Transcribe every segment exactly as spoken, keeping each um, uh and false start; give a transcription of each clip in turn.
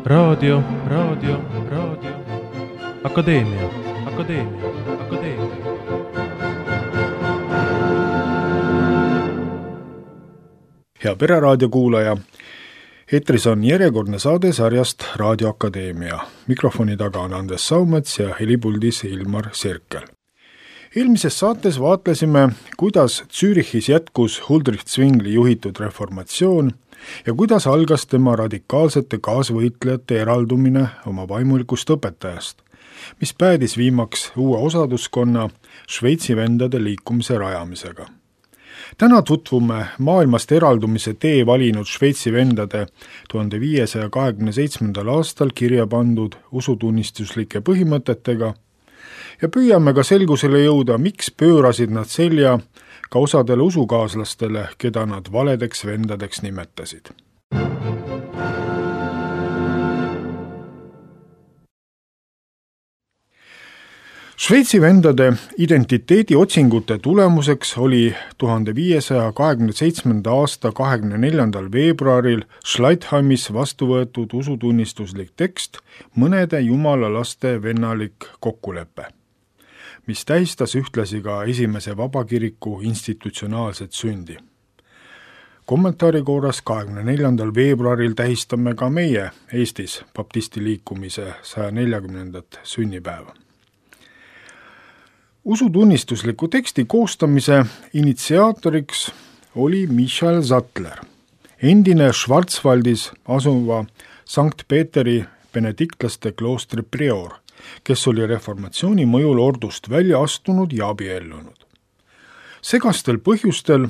raadio, raadio, raadio, akadeemia, akadeemia, akadeemia. Hea Pereraadio kuulaja, eetris on järjekordne saade sarjast Raadio Akadeemia. Mikrofoni taga on Andres Saumets ja helipuldis Ilmar Sirkel. Eelmises saates vaatlesime, kuidas Zürichis jätkus Huldrych Zwingli juhitud reformatsioon ja kuidas algas tema radikaalsete kaasvõitlejate eraldumine oma vaimulikust õpetajast, mis päädis viimaks uue osaduskonna Šveitsi vendade liikumise rajamisega. Täna tutvume maailmast eraldumise tee valinud Šveitsi vendade tuhande viiesaja kahekümne seitsmendal aastal kirja pandud usutunnistuslike põhimõtetega ja püüame ka selgusele jõuda, miks pöörasid nad selja ka osadele usukaaslastele, keda nad valedeks vendadeks nimetasid. Šveitsi vendade identiteediotsingute tulemuseks oli tuhande viiesaja kahekümne seitsmenda aasta kahekümne neljandal veebruaril Schleitheimis vastu võetud usutunnistuslik tekst mõnede jumalalaste vennalik kokkulepe, mis tähistas ühtlasi ka esimese vabakiriku institutsionaalset sündi. Kommentaari korras kahekümne neljandal veebruaril tähistame ka meie Eestis baptisti liikumise saja neljakümnendat sünnipäeva. Usutunnistusliku teksti koostamise initsiaatoriks oli Michael Sattler, endine Schwarzwaldis asuva Sankt Peeteri benediktlaste kloostri prior, kes oli reformatsiooni mõjul ordust välja astunud ja abiellunud. Segastel põhjustel,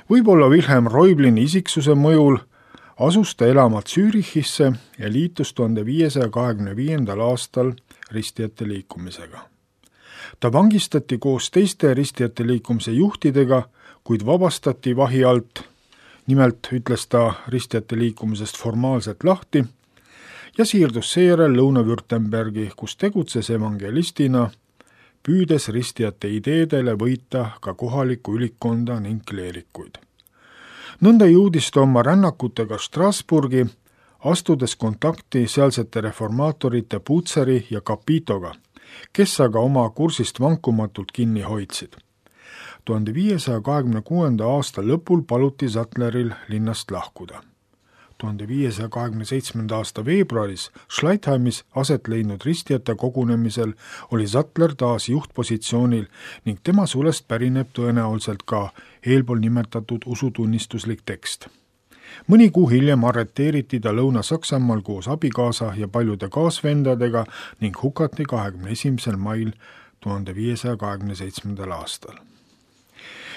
võib-olla Wilhelm Reublini isiksuse mõjul, asus ta elama Zürichisse ja liitus tuhande viiesaja kahekümne viiendal aastal ristijate liikumisega. Ta vangistati koos teiste ristijate liikumise juhtidega, kuid vabastati vahi alt, nimelt ütles ta ristijate liikumisest formaalselt lahti, ja siirdus seejärel Lõuna-Württembergi, kus tegutses evangelistina, püüdes ristijate ideedele võita ka kohalikku ülikkonda ning kleerikuid. Nõnda jõudis ta oma rännakutega Strasburgi, astudes kontakti sealsete reformaatorite Putseri ja Capitoga, kes aga oma kursist vankumatult kinni hoidsid. tuhande viiesaja kahekümne kuuenda aasta lõpul paluti Sattleril linnast lahkuda. tuhande viiesaja kahekümne seitsmenda aasta veebruaris Schleitheimis aset leidnud ristijate kogunemisel oli Sattler taas juhtpositsioonil ning tema sulest pärineb tõenäoliselt ka eelpool nimetatud usutunnistuslik tekst. Mõni kuu hiljem arreteeriti ta Lõuna-Saksamaal koos abikaasa ja paljude kaasvendadega ning hukati kahekümne esimesel mail tuhande viiesaja kahekümne seitsmendal aastal.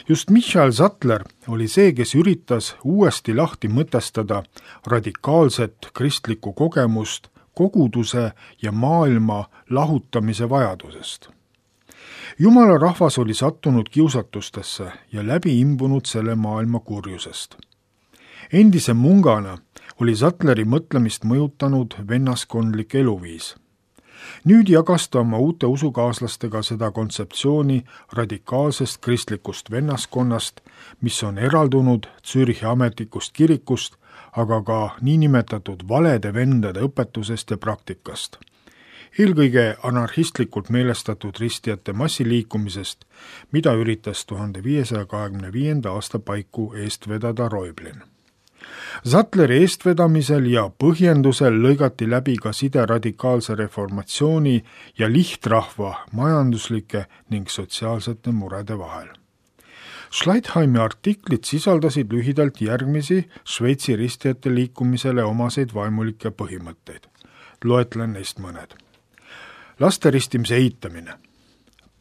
Just Michael Sattler oli see, kes üritas uuesti lahti mõtestada radikaalset kristlikku kogemust koguduse ja maailma lahutamise vajadusest. Jumala rahvas oli sattunud kiusatustesse ja läbi imbunud selle maailma kurjusest. Endise mungana oli Sattleri mõtlemist mõjutanud vennaskondlik eluviis. Nüüd jagas ta oma uute usukaaslastega seda kontseptsiooni radikaalsest kristlikust vennaskonnast, mis on eraldunud Zürichi ametlikust kirikust, aga ka niinimetatud valede vendade õpetusest ja praktikast. Eelkõige anarhistlikult meelestatud ristijate massiliikumisest, mida üritas tuhande viiesaja kahekümne viienda aasta paiku eest vedada Reublin. Sattleri eestvedamisel ja põhjendusel lõigati läbi ka side radikaalse reformatsiooni ja lihtrahva majanduslike ning sotsiaalsete murede vahel. Schleitheimi artiklid sisaldasid lühidalt järgmisi Šveitsi ristijate liikumisele omaseid vaimulikke põhimõtteid. Loetlen neist mõned. Laste ristimise eitamine,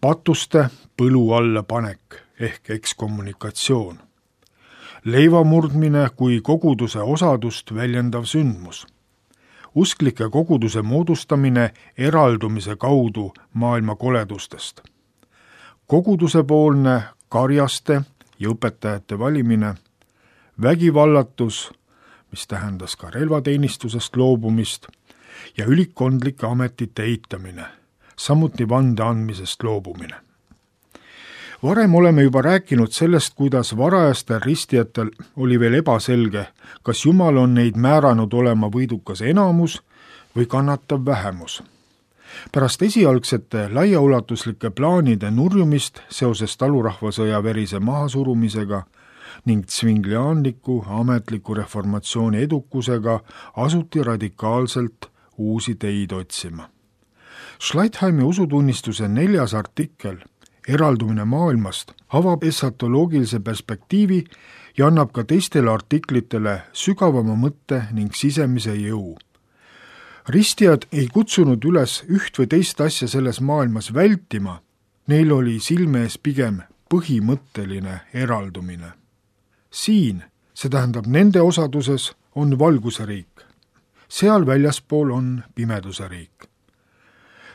patuste põlu alla panek ehk ekskommunikatsioon, leivamurdmine kui koguduse osadust väljendav sündmus, usklike koguduse moodustamine eraldumise kaudu maailma koledustest, kogudusepoolne karjaste ja õpetajate valimine, vägivallatus, mis tähendas ka relvateenistusest loobumist, ja ülikondlike ametite eitamine, samuti vande andmisest loobumine. Varem oleme juba rääkinud sellest, kuidas varajastel ristijatel oli veel ebaselge, kas Jumal on neid määranud olema võidukas enamus või kannatav vähemus. Pärast esialgsete laiaulatuslike plaanide nurjumist seoses talurahvasõja verise mahasurumisega ning tsvinglianliku ametliku reformatsiooni edukusega asuti radikaalselt uusi teid otsima. Schleitheimi usutunnistuse neljas artikkel, eraldumine maailmast, avab esatoloogilise perspektiivi ja annab ka teistele artiklitele sügavama mõtte ning sisemise jõu. Ristijad ei kutsunud üles üht või teist asja selles maailmas vältima, neil oli silme ees pigem põhimõtteline eraldumine. Siin, see tähendab nende osaduses, on valguse riik. Seal väljaspool on pimeduse riik.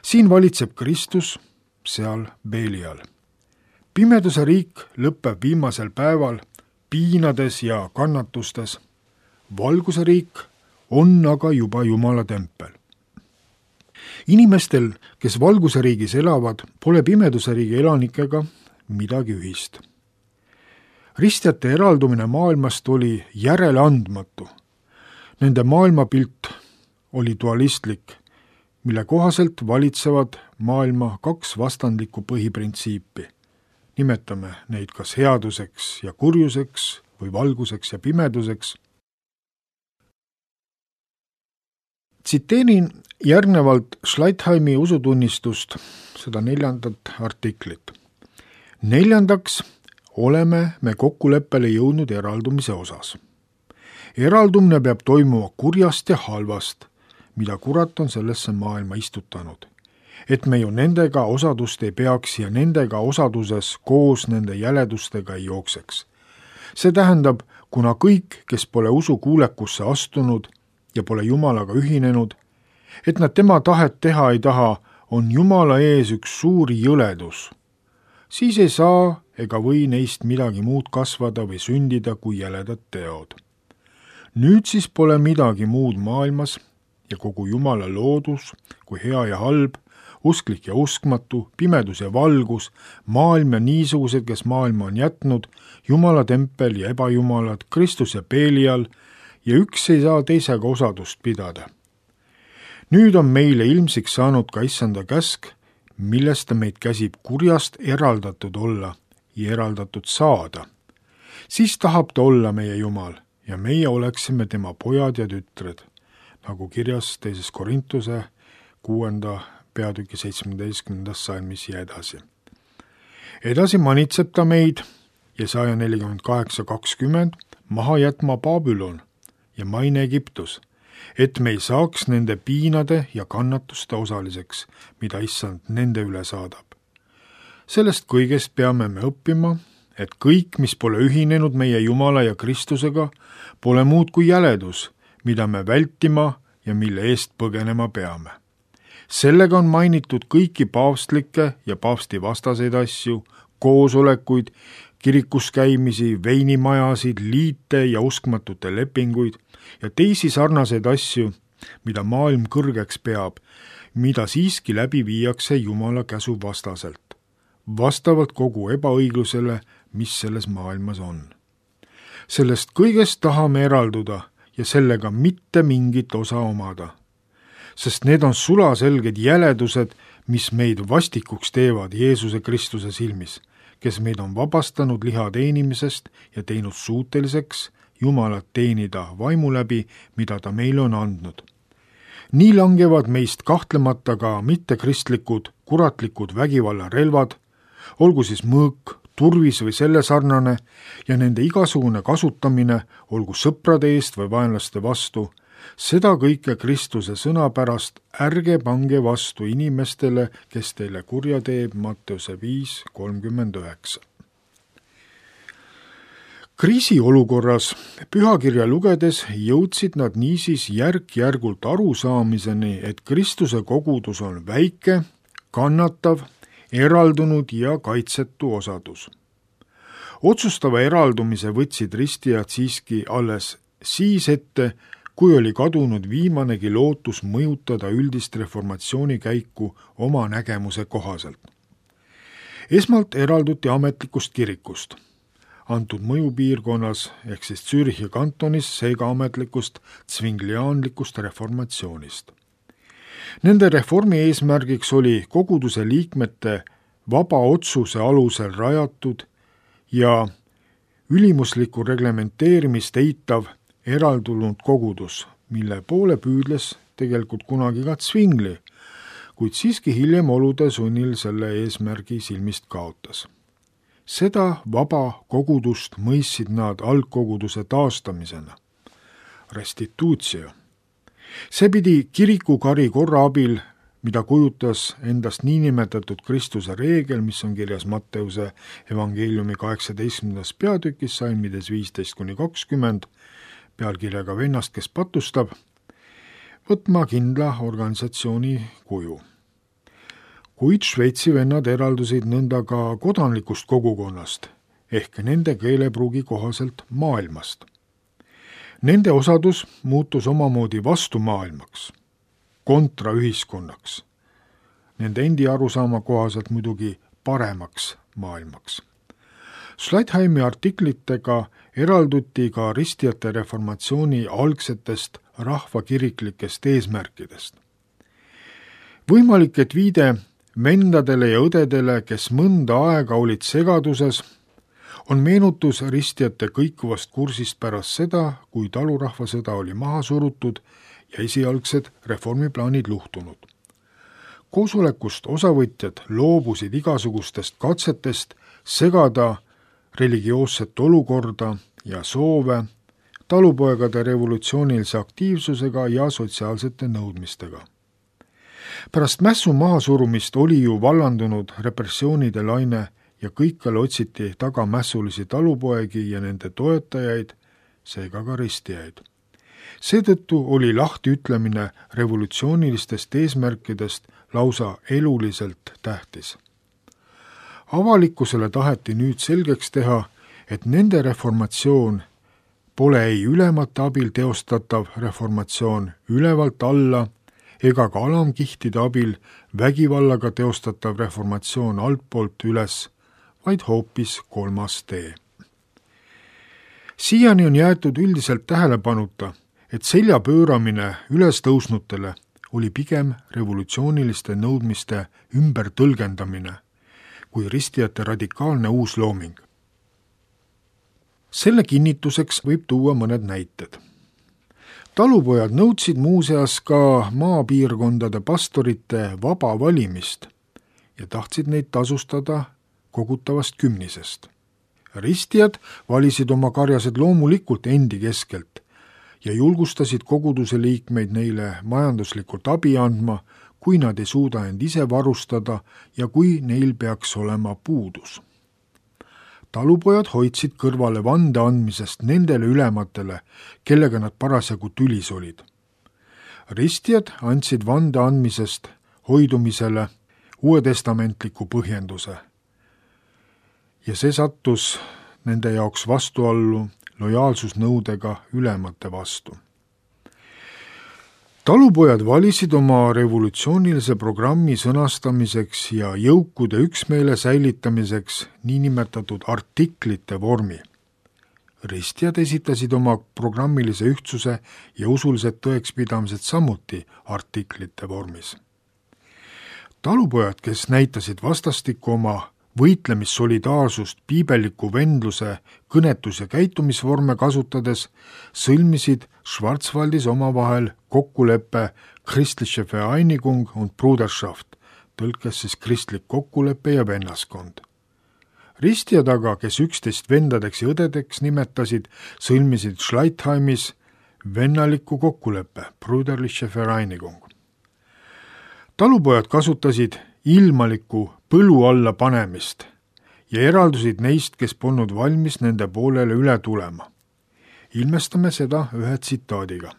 Siin valitseb Kristus, seal Belial. Pimeduse riik lõpeb viimasel päeval piinades ja kannatustes. Valguse riik on aga juba Jumala tempel. Inimestel, kes valguse riigis elavad, pole pimeduse riigi elanikega midagi ühist. Ristjate eraldumine maailmast oli järeleandmatu. Nende maailmapilt oli dualistlik, mille kohaselt valitsevad maailma kaks vastandlikku põhiprintsiipi. Nimetame neid kas headuseks ja kurjuseks või valguseks ja pimeduseks. Tsiteerin järgnevalt Schleitheimi usutunnistust, seda neljandat artiklit. Neljandaks oleme me kokkuleppele jõudnud eraldumise osas. Eraldumine peab toimuma kurjast ja halvast, mida kurat on sellesse maailma istutanud. Et me ju nendega osadust ei peaks ja nendega osaduses koos nende jäledustega ei jookseks. See tähendab, kuna kõik, kes pole usu kuulekusse astunud ja pole Jumalaga ühinenud, et nad tema tahet teha ei taha, on Jumala ees üks suur jõledus. Siis ei saa ega või neist midagi muud kasvada või sündida kui jäledad teod. Nüüd siis pole midagi muud maailmas ja kogu Jumala loodus kui hea ja halb, usklik ja uskmatu, pimedus ja valgus, maailm ja niisugused, kes maailma on jätnud, Jumala tempel ja ebajumalad, Kristus ja Belial, ja üks ei saa teisega osadust pidada. Nüüd on meile ilmsiks saanud ka issanda käsk, millest ta meid käsib kurjast eraldatud olla ja eraldatud saada. Siis tahab ta olla meie Jumal ja meie oleksime tema pojad ja tütred, nagu kirjas teises Korintuse kuuenda peatüki seitsmeteistkümnendas salmis ja edasi. Edasi manitseb ta meid ja saja nelikümmend kaheksa kakskümmend maha jätma Babylon ja maine Egiptus, et me ei saaks nende piinade ja kannatuste osaliseks, mida issand nende üle saadab. Sellest kõigest peame me õppima, et kõik, mis pole ühinenud meie Jumala ja Kristusega, pole muud kui jäledus, mida me vältima ja mille eest põgenema peame. Sellega on mainitud kõiki paavstlikke ja paavsti vastaseid asju, koosolekuid, kirikus käimisi, veinimajasid, liite ja uskmatute lepinguid ja teisi sarnaseid asju, mida maailm kõrgeks peab, mida siiski läbi viiakse Jumala käsu vastaselt, vastavalt kogu ebaõiglusele, mis selles maailmas on. Sellest kõigest tahame eralduda ja sellega mitte mingit osa omada, sest need on sulaselged jäledused, mis meid vastikuks teevad Jeesuse Kristuse silmis, kes meid on vabastanud liha teenimisest ja teinud suuteliseks Jumalat teenida vaimu läbi, mida ta meile on andnud. Nii langevad meist kahtlemata ka mittekristlikud, kuratlikud vägivallarelvad, olgu siis mõõk, turvis või selle sarnane, ja nende igasugune kasutamine, olgu sõprade eest või vaenlaste vastu, seda kõike Kristuse sõna pärast ärge pange vastu inimestele, kes teile kurja teeb, Matteuse viis kolmkümmend üheksa. Kriisiolukorras pühakirja lugedes jõudsid nad niisiis järk-järgult arusaamiseni, et Kristuse kogudus on väike, kannatav, eraldunud ja kaitsetu osadus. Otsustava eraldumise võtsid ristijad siiski alles siis ette, kui oli kadunud viimanegi lootus mõjutada üldist reformatsiooni käiku oma nägemuse kohaselt. Esmalt eralduti ametlikust kirikust, antud mõjupiirkonnas ehk siis Zürichi kantonis seega ametlikust tsvinglianlikust reformatsioonist. Nende reformi eesmärgiks oli koguduse liikmete vaba otsuse alusel rajatud ja ülimuslikku reglementeerimist eitav eraldunud kogudus, mille poole püüdles tegelikult kunagi ka Zwingli, kuid siiski hiljem olude sunnil selle eesmärgi silmist kaotas. Seda vaba kogudust mõistsid nad algkoguduse taastamisena, restituutio. See pidi kirikukari korra abil, mida kujutas endast niinimetatud Kristuse reegel, mis on kirjas Matteuse evangeeliumi kaheksateistkümnendas peatükis, salmides viisteist kuni kakskümmend, pealkirjaga Vennast, kes patustab, võtma kindla organisatsiooni kuju. Kuid Šveitsi vennad eraldusid nõnda ka kodanlikust kogukonnast ehk nende keelepruugi kohaselt maailmast. Nende osadus muutus omamoodi vastumaailmaks, kontraühiskonnaks, nende endi arusaama kohaselt muidugi paremaks maailmaks. Schleitheimi artiklitega eralduti ka ristijate reformatsiooni algsetest rahvakiriklikest eesmärkidest. Võimalik, et viide vendadele ja õdedele, kes mõnda aega olid segaduses, on meenutus ristijate kõikuvast kursist pärast seda, kui talurahvasõda oli maha surutud ja esialgsed reformiplaanid luhtunud. Koosolekust osavõtjad loobusid igasugustest katsetest segada religioosset olukorda ja soove talupoegade revolutsioonilise aktiivsusega ja sotsiaalsete nõudmistega. Pärast mässu mahasurumist oli ju vallandunud repressioonide laine ja kõikjal otsiti taga mässulisi talupoegi ja nende toetajaid, seega ka ristijaid. Seetõttu oli lahtiütlemine revolutsioonilistest eesmärkidest lausa eluliselt tähtis. Avalikkusele taheti nüüd selgeks teha, et nende reformatsioon pole ei ülemate abil teostatav reformatsioon ülevalt alla ega ka alamkihtide abil vägivallaga teostatav reformatsioon altpoolt üles, vaid hoopis kolmas tee. Siiani on jäetud üldiselt tähelepanuta, et selja pööramine ülestõusnutele oli pigem revolutsiooniliste nõudmiste ümbertõlgendamine kui ristijate radikaalne uus looming. Selle kinnituseks võib tuua mõned näited. Talupojad nõudsid muuseas ka maapiirkondade pastorite vaba valimist ja tahtsid neid tasustada kogutavast kümnisest. Ristijad valisid oma karjased loomulikult endi keskelt ja julgustasid koguduse liikmeid neile majanduslikult abi andma, kui nad ei suuda end ise varustada ja kui neil peaks olema puudus. Talupojad hoidsid kõrvale vande andmisest nendele ülematele, kellega nad parasjagu tülis olid. Ristijad andsid vande andmisest hoidumisele uuetestamentliku põhjenduse ja see sattus nende jaoks vastuallu lojaalsusnõudega ülemate vastu. Talupojad valisid oma revolutsioonilise programmi sõnastamiseks ja jõukude üksmeele säilitamiseks niinimetatud artiklite vormi. Ristijad esitasid oma programmilise ühtsuse ja usulised tõekspidamised samuti artiklite vormis. Talupojad, kes näitasid vastastikku oma võitlemissolidaarsust piibelliku vendluse, kõnetus- ja käitumisvorme kasutades, sõlmisid Schwarzwaldis omavahel kokkuleppe Christliche Vereinigung und Bruderschaft, tõlkes siis kristlik kokkulepe ja vennaskond. Ristijad aga, kes üksteist vendadeks ja õdedeks nimetasid, sõlmisid Schleitheimis vennaliku kokkuleppe, Brüderliche Vereinigung. Talupojad kasutasid ilmalikku põlu alla panemist ja eraldusid neist, kes polnud valmis nende poolele üle tulema. Ilmestame seda ühe tsitaadiga.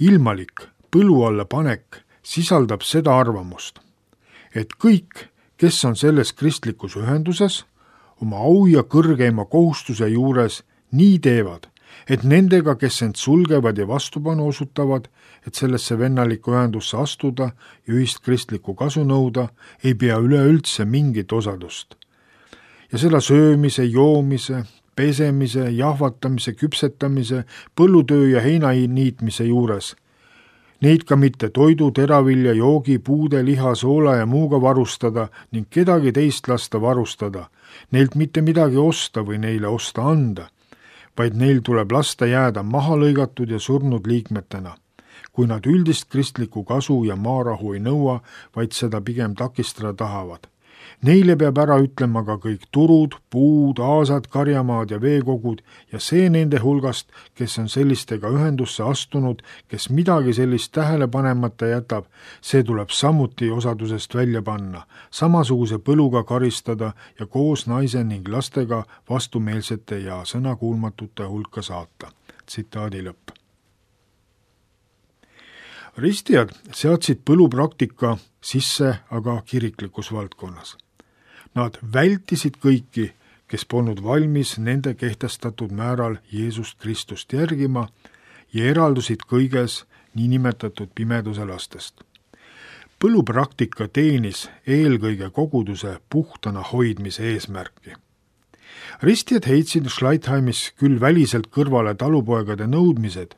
Ilmalik põlu alla panek sisaldab seda arvamust, et kõik, kes on selles kristlikus ühenduses, oma au ja kõrgeima kohustuse juures nii teevad, et nendega, kes end sulgevad ja vastupanu osutavad, et sellesse vennalikku ühendusse astuda ja ühist kristlikku kasu nõuda, ei pea üleüldse mingit osadust. Ja seda söömise, joomise, pesemise, jahvatamise, küpsetamise, põllutöö ja heina niitmise juures neid ka mitte toidu, teravilja, joogi, puude, liha, soola ja muuga varustada ning kedagi teist lasta varustada, neilt mitte midagi osta või neile osta anda, vaid neil tuleb lasta jääda maha lõigatud ja surnud liikmetena, kui nad üldist kristlikku kasu ja maarahu ei nõua, vaid seda pigem takistada tahavad. Neile peab ära ütlema ka kõik turud, puud, aasad, karjamaad ja veekogud ja see nende hulgast, kes on sellistega ühendusse astunud, kes midagi sellist tähele panemata jätab, see tuleb samuti osadusest välja panna, samasuguse põluga karistada ja koos naise ning lastega vastumeelsete ja sõnakuulmatute hulka saata. Tsitaadi lõpp. Ristijad seadsid põlupraktika sisse aga kiriklikus valdkonnas. Nad vältisid kõiki, kes polnud valmis nende kehtestatud määral Jeesust Kristust järgima ja eraldusid kõiges niinimetatud pimeduse lastest. Põlupraktika teenis eelkõige koguduse puhtana hoidmise eesmärki. Ristijad heitsid Schleitheimis küll väliselt kõrvale talupoegade nõudmised,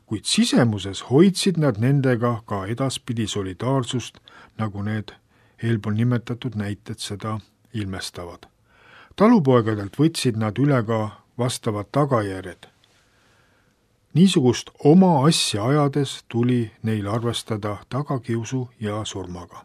kuid sisemuses hoidsid nad nendega ka edaspidi solidaarsust, nagu need eelpool nimetatud näited seda ilmestavad. Talupoegadelt võtsid nad üle ka vastavad tagajärjed. Niisugust oma asja ajades tuli neil arvestada tagakiusu ja surmaga.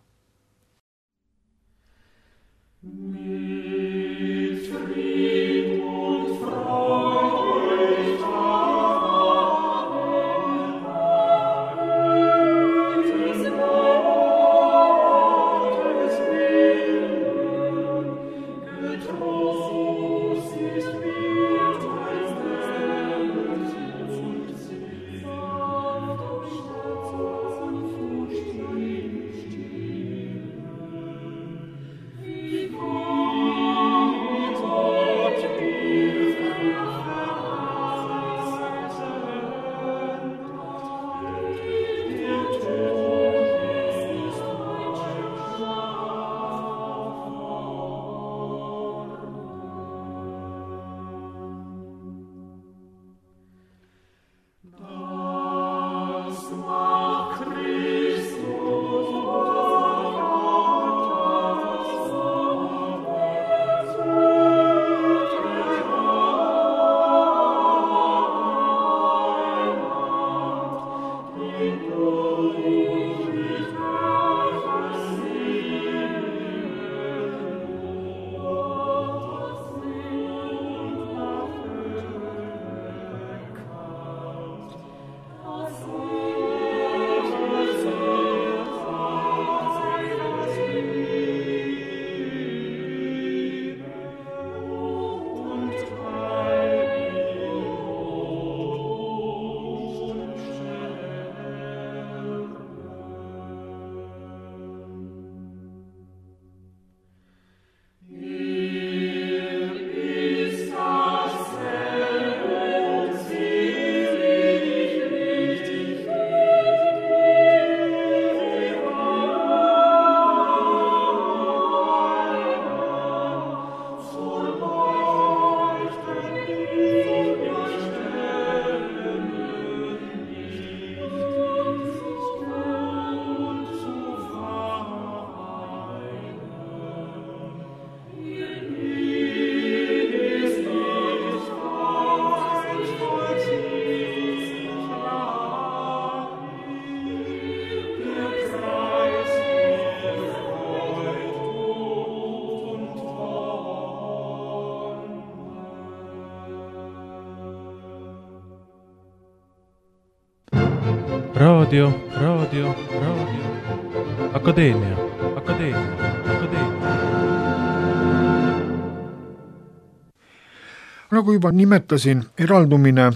raadio, raadio, raadio, akadeemia, akadeemia, akadeemia. Nagu juba nimetasin, eraldumine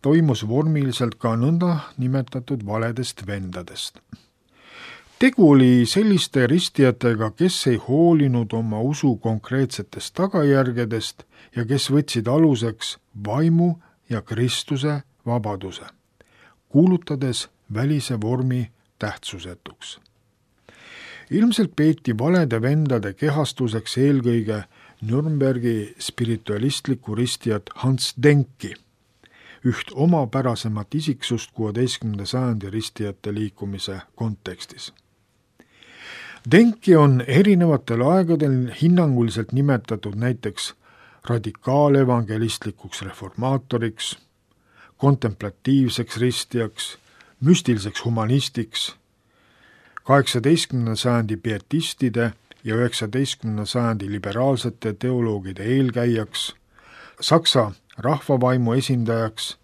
toimus vormiliselt ka nõnda nimetatud valedest vendadest. Tegu oli selliste ristijatega, kes ei hoolinud oma usu konkreetsetest tagajärgedest ja kes võtsid aluseks vaimu ja Kristuse vabaduse, kuulutades välise vormi tähtsusetuks. Ilmselt peeti valede vendade kehastuseks eelkõige Nürnbergi spiritualistlikku ristijat Hans Denki, üht omapärasemat isiksust kuueteistkümnenda sajandi ristijate liikumise kontekstis. Denki on erinevatel aegadel hinnanguliselt nimetatud näiteks radikaalevangelistlikuks reformaatoriks, kontemplatiivseks ristijaks, müstiliseks humanistiks, kaheksateistkümnenda sajandi pietistide ja üheksateistkümnenda sajandi liberaalsete teoloogide eelkäijaks, Saksa rahvavaimu esindajaks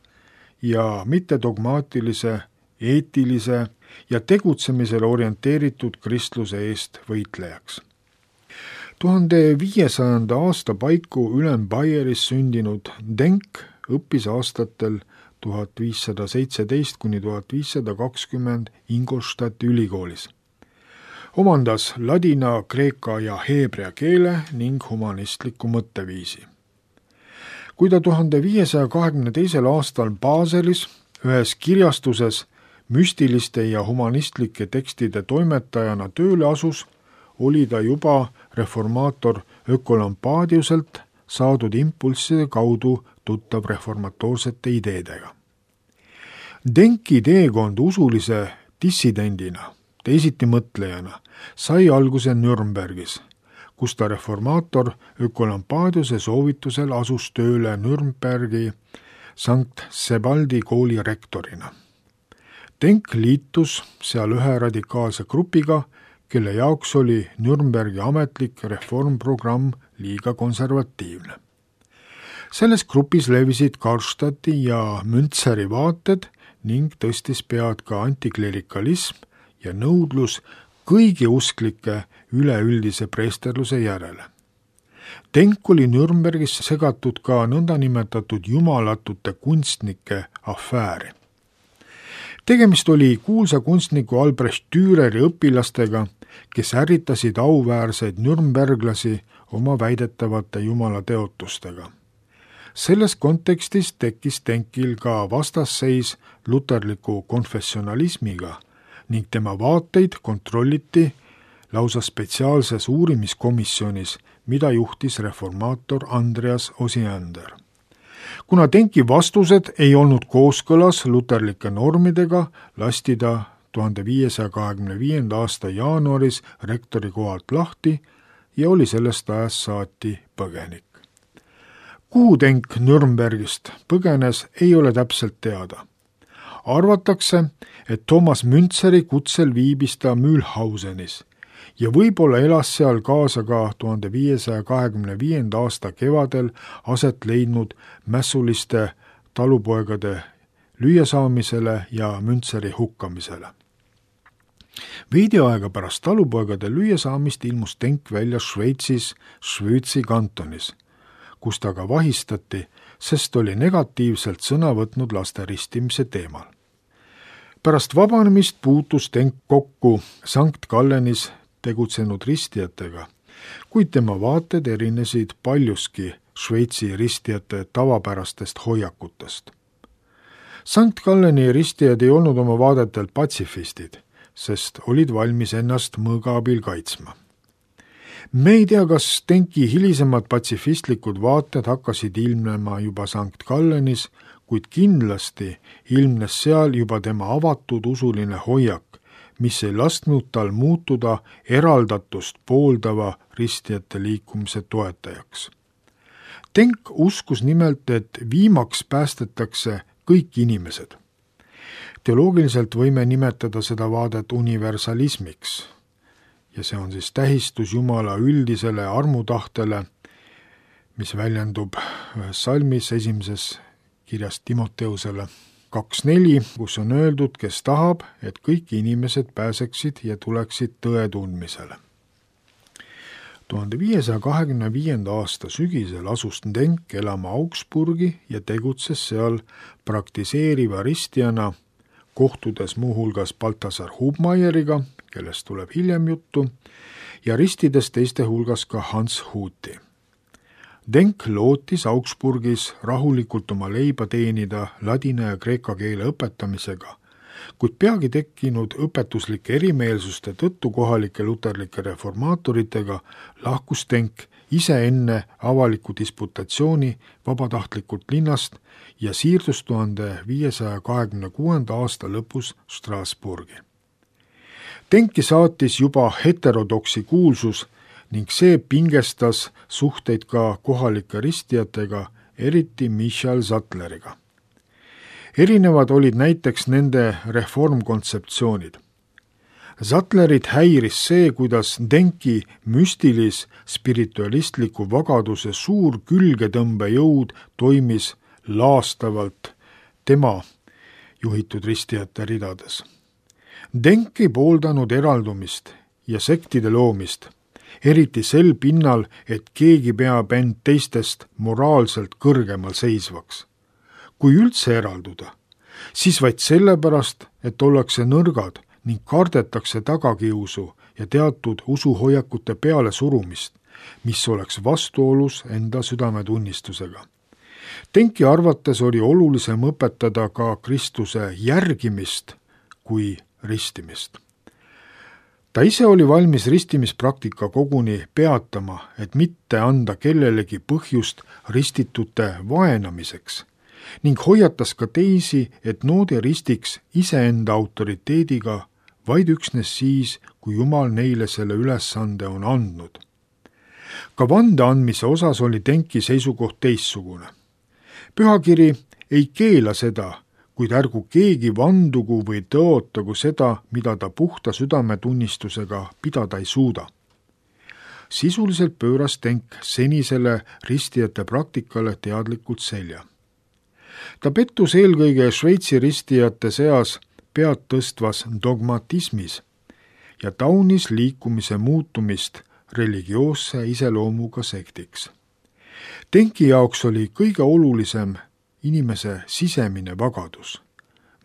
ja mittedogmaatilise, eetilise ja tegutsemisele orienteeritud kristluse eest võitlejaks. tuhande viiesajanda aasta paiku Ülem-Baieris sündinud Denk õppis aastatel tuhat viissada seitseteist kuni tuhat viissada kakskümmend Ingolstadti ülikoolis. Omandas ladina, kreeka ja heebrea keele ning humanistliku mõtteviisi. Kui ta tuhande viiesaja kahekümne teisel aastal Baselis ühes kirjastuses müstiliste ja humanistlike tekstide toimetajana tööle asus, oli ta juba reformaator Ökolampadiuselt saadud impulsside kaudu tuttav reformatoorsete ideedega. Denki teekond usulise dissidendina, teisiti mõtlejana, sai alguse Nürnbergis, kus ta reformaator Ökolampadiuse soovitusel asus tööle Nürnbergi Sankt Sebaldi kooli rektorina. Denk liitus seal ühe radikaalse grupiga, kelle jaoks oli Nürnbergi ametlik reformprogramm liiga konservatiivne. Selles grupis levisid Karlstadti ja Münzeri vaated ning tõstis pead ka antiklerikalism ja nõudlus kõigi usklike üleüldise preesterluse järele. Denk oli Nürnbergis segatud ka nõndanimetatud jumalatute kunstnike afääri. Tegemist oli kuulsa kunstniku Albrecht Düreri õpilastega, kes ärritasid auväärseid nürnberglasi oma väidetavate jumalateotustega. Selles kontekstis tekkis Denkil ka vastasseis luterliku konfessionalismiga ning tema vaateid kontrolliti lausa spetsiaalses uurimiskomisjonis, mida juhtis reformaator Andreas Osiander. Kuna Denki vastused ei olnud kooskõlas luterlike normidega, lasti ta tuhande viiesaja kahekümne viienda aasta jaanuaris rektori kohalt lahti ja oli sellest ajast saati põgenik. Kuhu Denk Nürnbergist põgenes, ei ole täpselt teada. Arvatakse, et Thomas Münzeri kutsel viibis ta Mühlhausenis ja võib-olla elas seal kaasa ka tuhande viiesaja kahekümne viienda aasta kevadel aset leidnud mässuliste talupoegade lüüasaamisele ja Münzeri hukkamisele. Veidi aega pärast talupoegade lüüasaamist ilmus Denk välja Šveitsis Švõtsi kantonis, kus ta ka vahistati, sest oli negatiivselt sõna võtnud laste ristimise teemal. Pärast vabanemist puutus Denk kokku Sankt Gallenis tegutsenud ristijatega, kuid tema vaated erinesid paljuski Šveitsi ristijate tavapärastest hoiakutest. Sankt Galleni ristijad ei olnud oma vaadetelt patsifistid, sest olid valmis ennast mõõga abil kaitsma. Me ei tea, kas Denki hilisemad patsifistlikud vaated hakkasid ilmnema juba Sankt Gallenis, kuid kindlasti ilmnes seal juba tema avatud usuline hoiak, mis ei lasknud tal muutuda eraldatust pooldava ristijate liikumise toetajaks. Denk uskus nimelt, et viimaks päästetakse kõik inimesed. Teoloogiliselt võime nimetada seda vaadet universalismiks ja see on siis tähistus Jumala üldisele armutahtele, mis väljendub ühes salmis esimeses kirjas Timoteusele kaks neli, kus on öeldud, kes tahab, et kõik inimesed pääseksid ja tuleksid tõe tundmisele. tuhande viiesaja kahekümne viienda aasta sügisel asus Denk elama Augsburgi ja tegutses seal praktiseeriva ristijana, kohtudes muuhulgas Balthasar Hubmeieriga, kellest tuleb hiljem juttu, ja ristides teiste hulgas ka Hans Huti. Denk lootis Augsburgis rahulikult oma leiba teenida ladina ja kreeka keele õpetamisega, kuid peagi tekkinud õpetuslike erimeelsuste tõttu kohalike luterlike reformaatoritega lahkus Denk ise enne avaliku disputatsiooni vabatahtlikult linnast ja siirdus tuhande viiesaja kahekümne kuuenda aasta lõpus Strasbourgi. Denki saatis juba heterodoksi kuulsus ning see pingestas suhteid ka kohalike ristijatega, eriti Michal Zattleriga. Erinevad olid näiteks nende reformkontseptsioonid. Zattlerit häiris see, kuidas Denki müstilis spiritualistliku vagaduse suur külgetõmbejõud toimis laastavalt tema juhitud ristijate ridades. Denk ei pooldanud eraldumist ja sektide loomist, eriti sel pinnal, et keegi peab end teistest moraalselt kõrgemal seisvaks. Kui üldse eralduda, siis vaid sellepärast, et ollakse nõrgad ning kardetakse tagakiusu ja teatud usuhoiakute peale surumist, mis oleks vastuolus enda südametunnistusega. Denki arvates oli olulisem õpetada ka Kristuse järgimist kui ristimist. Ta ise oli valmis ristimispraktika koguni peatama, et mitte anda kellelegi põhjust ristitute vaenamiseks ning hoiatas ka teisi, et noodi ristiks iseenda autoriteediga vaid üksnes siis, kui Jumal neile selle ülesande on andnud. Ka vande andmise osas oli Denki seisukoht teistsugune. Pühakiri ei keela seda, kuid ärgu keegi vandugu või tõotagu seda, mida ta puhta südametunnistusega pidada ei suuda. Sisuliselt pööras Denk senisele ristijate praktikale teadlikult selja. Ta pettus eelkõige Šveitsi ristijate seas pead tõstvas dogmatismis ja taunis liikumise muutumist religioosse iseloomuga sektiks. Denki jaoks oli kõige olulisem inimese sisemine vagadus,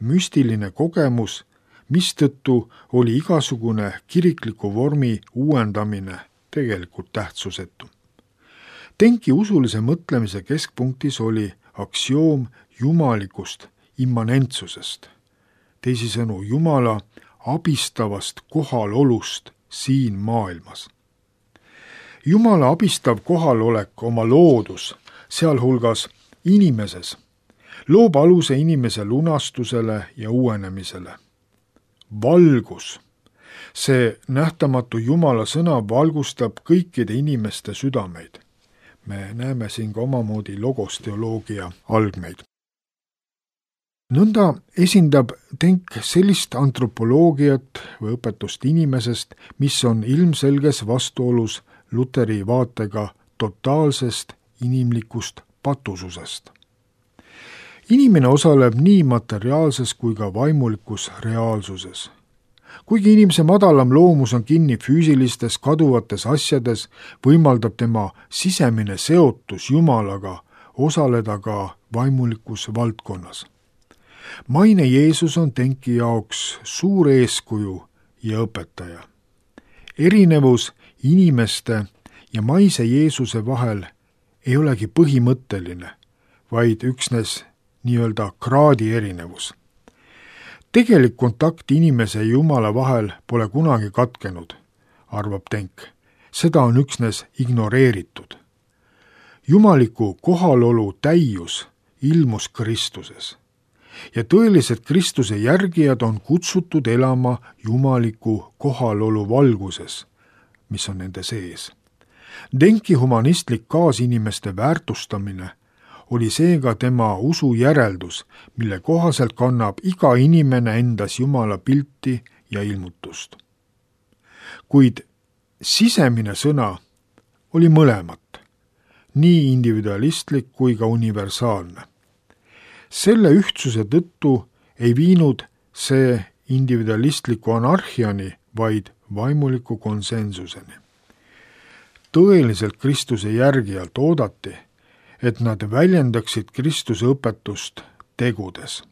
müstiline kogemus, mistõttu oli igasugune kirikliku vormi uuendamine tegelikult tähtsusetu. Denki usulise mõtlemise keskpunktis oli aktsioom jumalikust immanentsusest, teisisõnu Jumala abistavast kohalolust siin maailmas. Jumala abistav kohalolek oma loodus, sealhulgas inimeses, loob aluse inimese lunastusele ja uuenemisele. Valgus, see nähtamatu Jumala sõna valgustab kõikide inimeste südameid. Me näeme siin ka omamoodi logosteoloogia algmeid. Nõnda esindab Denk sellist antropoloogiat või õpetust inimesest, mis on ilmselges vastuolus Luteri vaatega totaalsest inimlikust patususest. Inimene osaleb nii materiaalses kui ka vaimulikus reaalsuses. Kuigi inimese madalam loomus on kinni füüsilistes kaduvates asjades, võimaldab tema sisemine seotus Jumalaga osaleda ka vaimulikus valdkonnas. Maine Jeesus on Denki jaoks suur eeskuju ja õpetaja. Erinevus inimeste ja maise Jeesuse vahel ei olegi põhimõtteline, vaid üksnes nii-öelda kraadi erinevus. Tegelik kontakt inimese ja Jumala vahel pole kunagi katkenud, arvab Denk. Seda on üksnes ignoreeritud. Jumaliku kohalolu täius ilmus Kristuses ja tõelised Kristuse järgijad on kutsutud elama jumaliku kohalolu valguses, mis on nende sees. Denki humanistlik kaasinimeste väärtustamine oli seega tema usu järeldus, mille kohaselt kannab iga inimene endas Jumala pilti ja ilmutust. Kuid sisemine sõna oli mõlemat, nii individualistlik kui ka universaalne. Selle ühtsuse tõttu ei viinud see individualistliku anarhiani, vaid vaimuliku konsensuseni. Tõeliselt Kristuse järgijalt oodati, et nad väljendaksid Kristuse õpetust tegudes.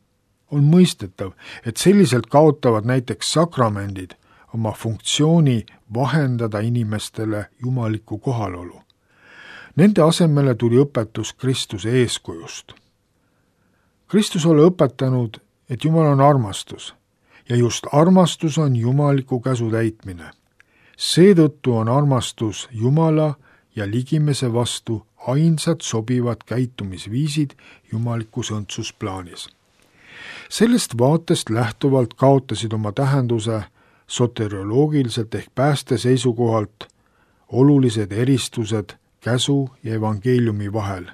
On mõistetav, et selliselt kaotavad näiteks sakramendid oma funktsiooni vahendada inimestele jumalikku kohalolu. Nende asemele tuli õpetus Kristuse eeskujust. Kristus oli õpetanud, et Jumal on armastus ja just armastus on jumaliku käsu täitmine. Seetõttu on armastus Jumala ja ligimese vastu ainsad sobivad käitumisviisid jumalikus õndsusplaanis. Sellest vaatest lähtuvalt kaotasid oma tähenduse soterioloogiliselt ehk pääste seisukohalt olulised eristused käsu ja evangeeliumi vahel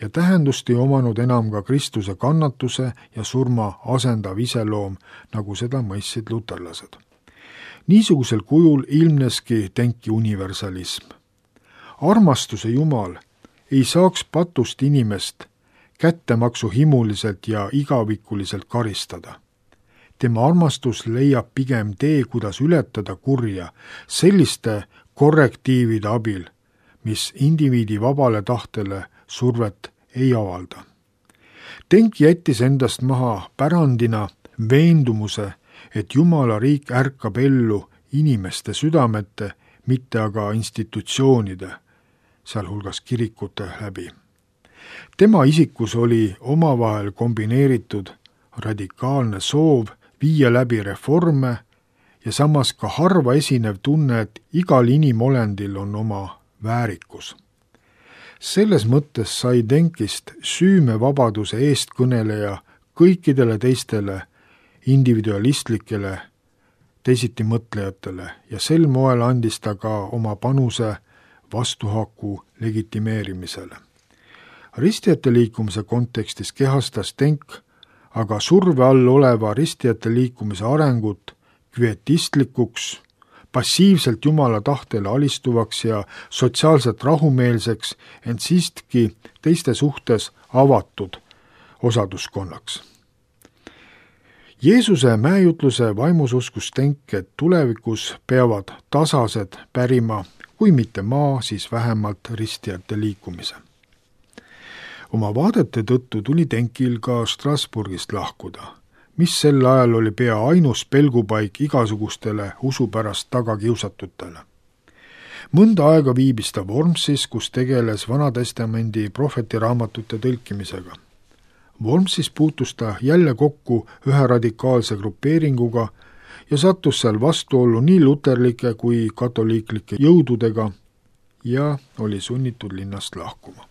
ja tähendust ei omanud enam ka Kristuse kannatuse ja surma asendav iseloom, nagu seda mõistsid luterlased. Niisugusel kujul ilmneski Denki universalism. Armastuse Jumal ei saaks patust inimest kättemaksu himuliselt ja igavikuliselt karistada. Tema armastus leiab pigem tee, kuidas ületada kurja selliste korrektiivide abil, mis indiviidi vabale tahtele survet ei avalda. Denk jättis endast maha pärandina veendumuse, et Jumala riik ärkab ellu inimeste südamete, mitte aga institutsioonide, sealhulgas kirikute läbi. Tema isikus oli omavahel kombineeritud radikaalne soov viia läbi reforme ja samas ka harva esinev tunne, et igal inimolendil on oma väärikus. Selles mõttes sai Denkist süümevabaduse eestkõneleja kõikidele teistele individualistlikele teisitimõtlejatele ja sel moel andis ta ka oma panuse vastuhaku legitimeerimisele. Ristijate liikumise kontekstis kehastas Denk aga surve all oleva ristijate liikumise arengut kvietistlikuks, passiivselt Jumala tahtele alistuvaks ja sotsiaalselt rahumeelseks, ent siiski teiste suhtes avatud osaduskonnaks. Jeesuse mäejutluse vaimus uskus Denk, et tulevikus peavad tasased pärima, kui mitte maa, siis vähemalt ristijate liikumise. Oma vaadete tõttu tuli Denkil ka Strasbourgist lahkuda, mis sel ajal oli pea ainus pelgupaik igasugustele usupärast tagakiusatutele. Mõnda aega viibis ta Wormsis, kus tegeles Vanatestamendi prohvetiraamatute tõlkimisega. Wormsis puutus ta jälle kokku ühe radikaalse grupeeringuga ja sattus seal vastuollu nii luterlike kui katoliiklike jõududega ja oli sunnitud linnast lahkuma.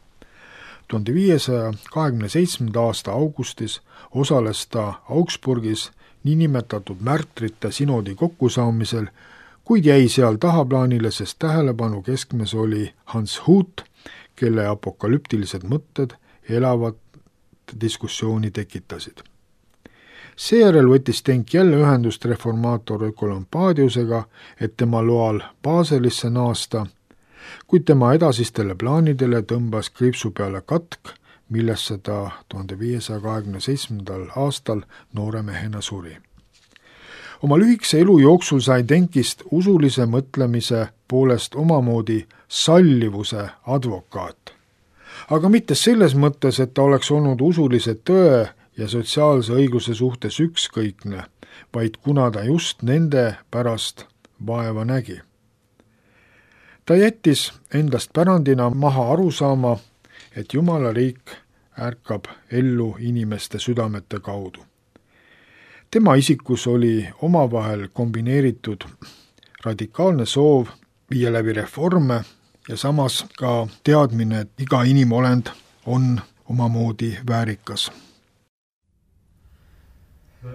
tuhande viiesaja kahekümne seitsmenda aasta augustis osales ta Augsburgis niinimetatud märtrite sinodi kokkusaamisel, kuid jäi seal tahaplaanile, sest tähelepanu keskmes oli Hans Hut, kelle apokalüptilised mõtted elavat diskussiooni tekitasid. Seejärel võttis Denk jälle ühendust reformaator Ökolampaadiusega, et tema loal Baselisse naasta, kuid tema edasistele plaanidele tõmbas kriipsu peale katk, millesse ta tuhande viiesaja kahekümne seitsmendal aastal noore mehena suri. Oma lühikese elu jooksul sai Denkist usulise mõtlemise poolest omamoodi sallivuse advokaat. Aga mitte selles mõttes, et ta oleks olnud usulise tõe ja sotsiaalse õigluse suhtes ükskõikne, vaid kuna ta just nende pärast vaeva nägi. Ta jättis endast pärandina maha arusaama, et Jumala riik ärkab ellu inimeste südamete kaudu. Tema isikus oli omavahel kombineeritud radikaalne soov viia läbi reforme ja samas ka teadmine, et iga inimolend on omamoodi väärikas. Oh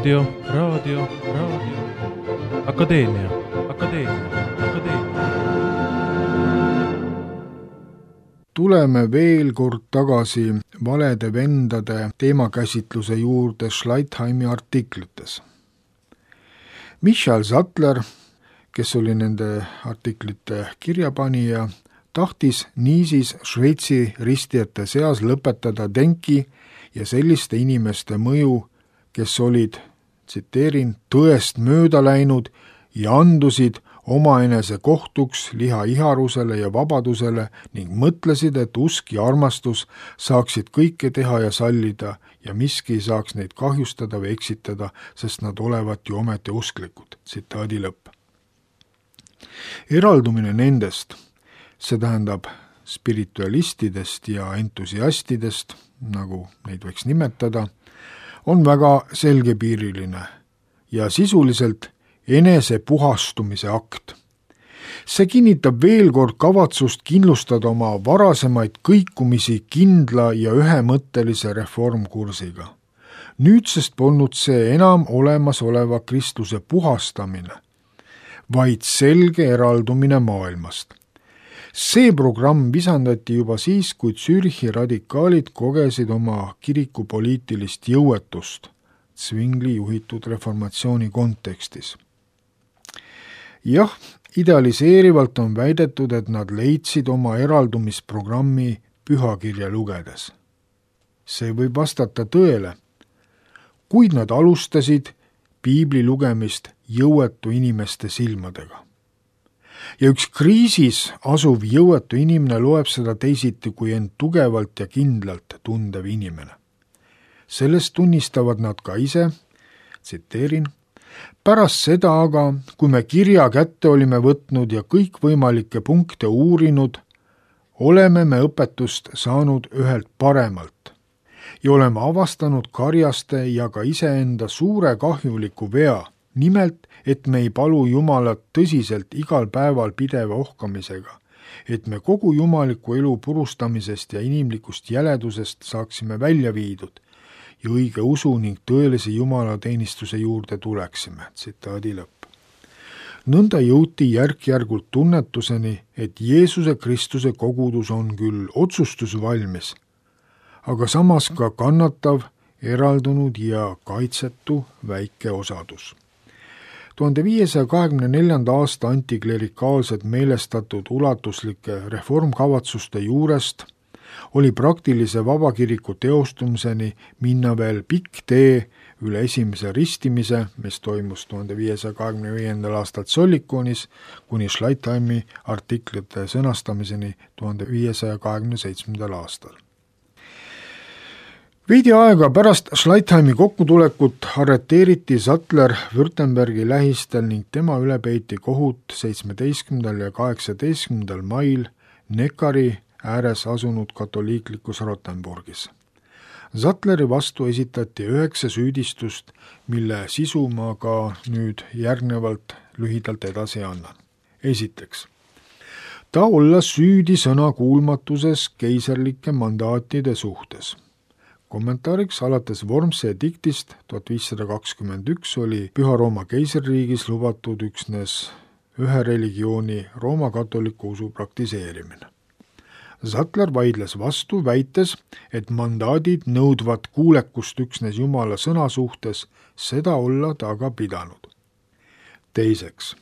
raadio, raadio, raadio, Akadeemia, Akadeemia, Akadeemia. Tuleme veel kord tagasi valede vendade teemakäsitluse juurde Schleitheimi artiklites. Michael Sattler, kes oli nende artiklite kirjapanija, tahtis niisiis Šveitsi ristijate seas lõpetada Denki ja selliste inimeste mõju, kes olid, tsiteerin, tõest mööda läinud ja andusid omaenese kohtuks liha iharusele ja vabadusele ning mõtlesid, et usk ja armastus saaksid kõike teha ja sallida ja miski ei saaks neid kahjustada või eksitada, sest nad olevat ju ometi usklikud. Tsitaadi lõpp. Eraldumine nendest, see tähendab spiritualistidest ja entusiastidest, nagu neid võiks nimetada, on väga selgepiiriline ja sisuliselt enese puhastumise akt. See kinnitab veel kord kavatsust kindlustada oma varasemaid kõikumisi kindla ja ühemõttelise reformkursiga. Nüüdsest polnud see enam olemasoleva Kristuse puhastamine, vaid selge eraldumine maailmast. See programm visandati juba siis, kui Zürichi radikaalid kogesid oma kiriku poliitilist jõuetust Zwingli juhitud reformatsiooni kontekstis. Jah, idealiseerivalt on väidetud, et nad leidsid oma eraldumisprogrammi pühakirja lugedes. See võib vastata tõele, kuid nad alustasid piibli lugemist jõuetu inimeste silmadega. Ja üks kriisis asuv jõuetu inimene loeb seda teisiti kui end tugevalt ja kindlalt tundev inimene. Sellest tunnistavad nad ka ise, tsiteerin, pärast seda aga, kui me kirja kätte olime võtnud ja kõikvõimalikke punkte uurinud, oleme me õpetust saanud ühelt paremalt ja oleme avastanud karjaste ja ka iseenda suure kahjuliku vea, nimelt, et me ei palu Jumalat tõsiselt igal päeval pideva ohkamisega, et me kogu jumaliku elu purustamisest ja inimlikust jäledusest saaksime välja viidud ja õige usu ning tõelise jumalateenistuse juurde tuleksime. Tsitaadi lõpp. Nõnda jõuti järk-järgult tunnetuseni, et Jeesuse Kristuse kogudus on küll otsustusvalmis, aga samas ka kannatav, eraldunud ja kaitsetu väike osadus. tuhande viiesaja kahekümne neljanda aasta antiklerikaalsed meelestatud ulatuslike reformkavatsuste juurest oli praktilise vabakiriku teostumiseni minna veel pikk tee üle esimese ristimise, mis toimus tuhande viiesaja kahekümne viiendal aastal Zollikonis, kuni Schleitheimi artiklite sõnastamiseni tuhande viiesaja kahekümne seitsmendal aastal. Veidi aega pärast Schleitheimi kokkutulekut arreteeriti Sattler Württembergi lähistel ning tema üle peeti kohut seitsmeteistkümnendal ja kaheksateistkümnendal mail Neckari ääres asunud katoliiklikus Rottenburgis. Sattleri vastu esitati üheksa süüdistust, mille sisu ma ka nüüd järgnevalt lühidalt edasi annan. Esiteks, ta olla süüdi sõnakuulmatuses keiserlike mandaatide suhtes. Kommentaariks alates Wormse ediktist tuhat viissada kakskümmend üks oli Püha Rooma keisririigis lubatud üksnes ühe religiooni Rooma katoliku usu praktiseerimine. Sattler vaidles vastu, väites, et mandaadid nõudvat kuulekust üksnes Jumala sõna suhtes, seda olla ta aga pidanud. Teiseks,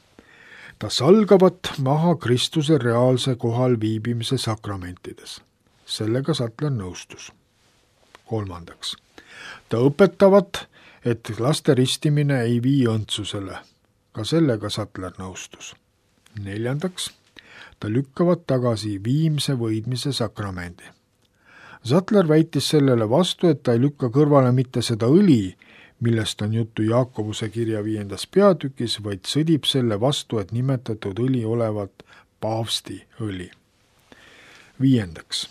ta salgavat maha Kristuse reaalse kohal viibimise sakramentides. Sellega Sattler nõustus. Kolmandaks, ta õpetavat, et laste ristimine ei vii õndsusele. Ka sellega Sattler nõustus. Neljandaks, ta lükkavat tagasi viimse võidmise sakramendi. Sattler väitis sellele vastu, et ta ei lükka kõrvale mitte seda õli, millest on juttu Jaakobuse kirja viiendas peatükis, vaid sõdib selle vastu, et nimetatud õli olevat paavsti õli. Viiendaks,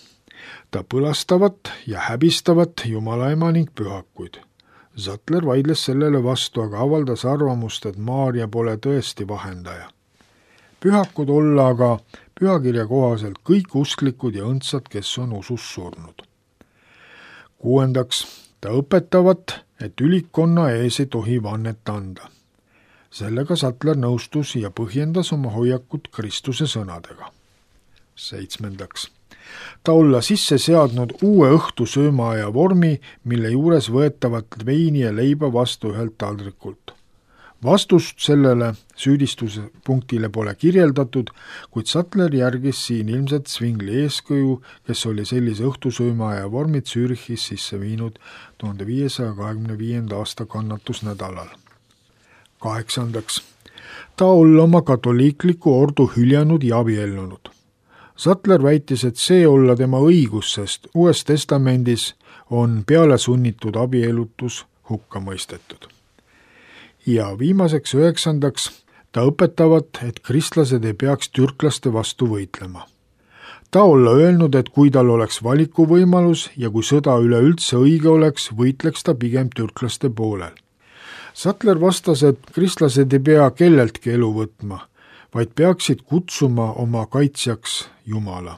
ta põlastavat ja häbistavat Jumala ema ning pühakuid. Sattler vaidles sellele vastu, aga avaldas arvamust, et Maarja pole tõesti vahendaja. Pühakud olla aga pühakirja kohaselt kõik usklikud ja õndsad, kes on usus surnud. Kuuendaks, ta õpetavat, et ülikonna ees ei tohi vannet anda. Sellega Sattler nõustus ja põhjendas oma hoiakut Kristuse sõnadega. Seitsmendaks. Ta olla sisse seadnud uue õhtusöömaaja vormi, mille juures võetavat veini ja leiba vastu ühelt taldrikult. Vastust sellele süüdistuspunktile pole kirjeldatud, kuid Sattler järgis siin ilmselt Zwingli eeskuju, kes oli sellise õhtusöömaaja vormid Zürichis sisse viinud tuhande viiesaja kahekümne viienda aasta kannatusnädalal. Kaheksandaks. Ta olla oma katoliikliku ordu hüljanud ja abiellunud. Sattler väitis, et see olla tema õigus, sest Uues Testamendis on peale sunnitud abielutus hukka mõistetud. Ja viimaseks üheksandaks, ta õpetavat, et kristlased ei peaks türklaste vastu võitlema. Ta olla öelnud, et kui tal oleks valikuvõimalus ja kui sõda üleüldse õige oleks, võitleks ta pigem türklaste poolel. Sattler vastas, et kristlased ei pea kelleltki elu võtma, vaid peaksid kutsuma oma kaitsjaks Jumala.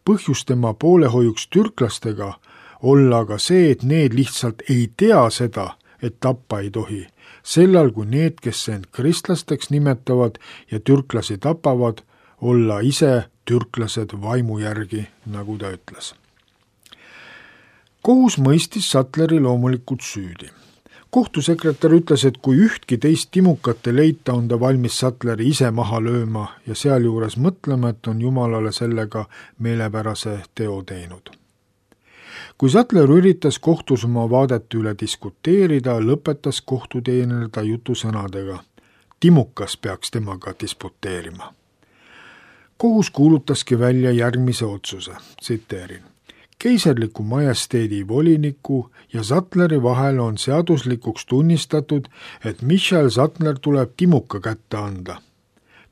Põhjus tema poolehoiuks türklastega olla aga see, et need lihtsalt ei tea seda, et tappa ei tohi, sellal kui need, kes end kristlasteks nimetavad ja türklasi tapavad, olla ise türklased vaimu järgi, nagu ta ütles. Kohus mõistis Sattleri loomulikult süüdi. Kohtusekretär ütles, et kui ühtki teist timukat ei leita, on ta valmis Sattleri ise maha lööma ja sealjuures mõtlema, et on Jumalale sellega meelepärase teo teinud. Kui Sattler üritas kohtus oma vaadet üle diskuteerida, lõpetas kohtuteener ta jutusõnadega. Timukas peaks temaga disputeerima. Kohus kuulutaski välja järgmise otsuse, tsiteerin. Keiserliku majesteedi voliniku ja Sattleri vahel on seaduslikuks tunnistatud, et Michael Sattler tuleb timuka kätte anda.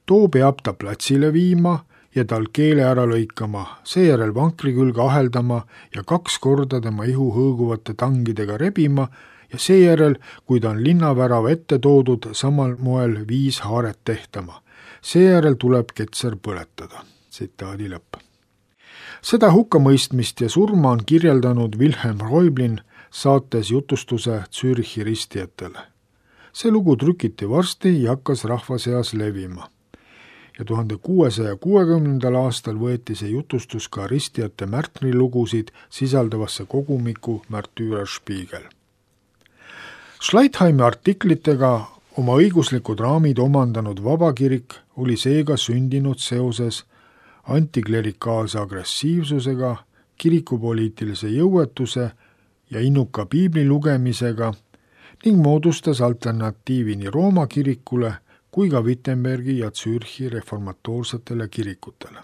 Too peab ta platsile viima ja tal keele ära lõikama, seejärel vankri külge aheldama ja kaks korda tema ihu hõõguvate tangidega rebima ja seejärel, kui ta on linnavärava ette toodud, samal moel viis haaret tehtama. Seejärel tuleb ketser põletada. Tsitaadi lõpp. Seda hukkamõistmist ja surma on kirjeldanud Wilhelm Reublin saates jutustuse Zürichi ristijatele. See lugu trükiti varsti ja hakkas rahva seas levima. Ja tuhande kuuesaja kuuekümnendal aastal võeti see jutustus ka ristijate märtrilugusid sisaldavasse kogumiku Märtyrer Spiegel. Schleitheimi artiklitega oma õiguslikud raamid omandanud vabakirik oli seega sündinud seoses antiklerikaalse agressiivsusega, kirikupoliitilise jõuetuse ja innuka piibli lugemisega ning moodustas alternatiivi nii Rooma kirikule kui ka Wittenbergi ja Zürichi reformatoorsetele kirikutele.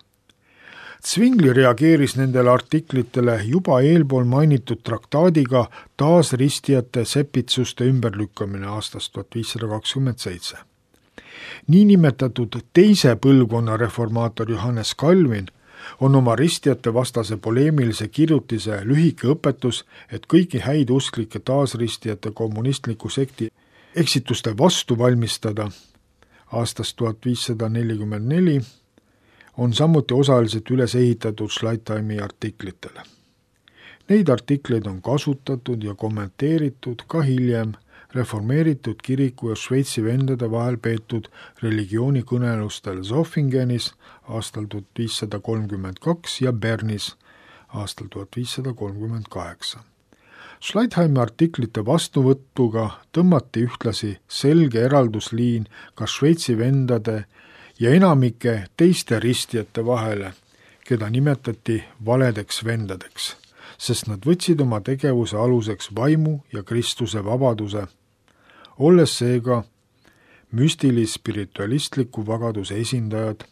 Zwingli reageeris nendele artiklitele juba eelpool mainitud traktaadiga taas ristijate sepitsuste ümberlükkamine aastast tuhat viissada kakskümmend seitse. Niinimetatud teise põlvkonna reformaator Johannes Calvin on oma ristijate vastase poleemilise kirjutise lühike õpetus, et kõiki häid usklike taasristijate kommunistliku sekti eksituste vastu valmistada aastast tuhat viissada nelikümmend neli on samuti osaliselt üles ehitatud Schleitheimi artiklitele. Neid artikleid on kasutatud ja kommenteeritud ka hiljem reformeeritud kiriku ja Šveitsi vendade vahel peetud religioonikõnelustel Zoffingenis aastal tuhat viissada kolmkümmend kaks ja Bernis aastal tuhat viissada kolmkümmend kaheksa. Schleitheimi artiklite vastuvõttuga tõmmati ühtlasi selge eraldusliin ka Šveitsi vendade ja enamike teiste ristijate vahele, keda nimetati valedeks vendadeks, sest nad võtsid oma tegevuse aluseks vaimu ja Kristuse vabaduse, olles seega müstilis-spiritualistliku vagaduse esindajad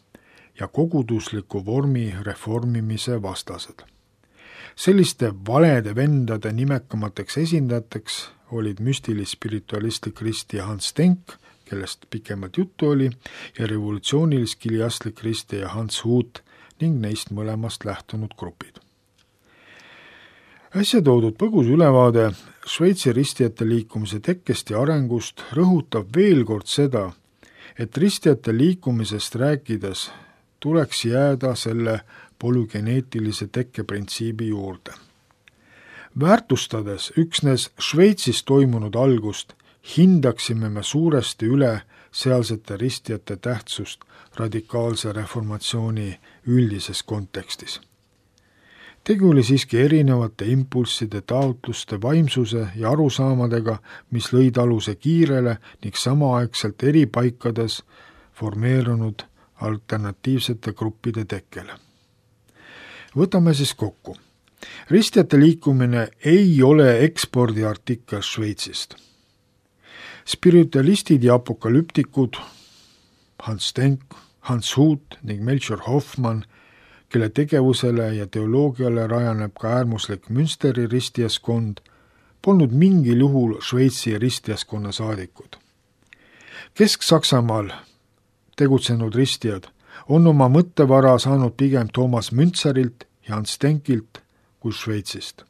ja kogudusliku vormi reformimise vastased. Selliste valede vendade nimekamateks esindajateks olid müstilis-spiritualistlik ristija Hans Denk, kellest pikemalt juttu oli, ja revolutsioonilis-kiliastlik ristija Hans Hut ning neist mõlemast lähtunud grupid. Äsja toodud põgus ülevaade Šveitsi ristijate liikumise tekkest ja arengust rõhutab veel kord seda, et ristijate liikumisest rääkides tuleks jääda selle polügeneetilise tekkeprintsiibi juurde. Väärtustades üksnes Šveitsis toimunud algust, hindaksime me suuresti üle sealsete ristijate tähtsust radikaalse reformatsiooni üldises kontekstis. Tegu oli siiski erinevate impulsside, taotluste, vaimsuse ja arusaamadega, mis lõid aluse kiirele ning samaaegselt eri paikades formeerunud alternatiivsete gruppide tekkele. Võtame siis kokku. Ristijate liikumine ei ole ekspordiartikkel Šveitsist. Spiritualistid ja apokalüptikud Hans Denk, Hans Hut ning Melchior Hoffmann, kelle tegevusele ja teoloogiale rajaneb ka äärmuslik Münsteri ristijaskond, polnud mingil juhul Šveitsi ristijaskonna saadikud. Kesk-Saksamaal tegutsenud ristijad on oma mõttevara saanud pigem Thomas Müntserilt ja Hans Denkilt kui Šveitsist.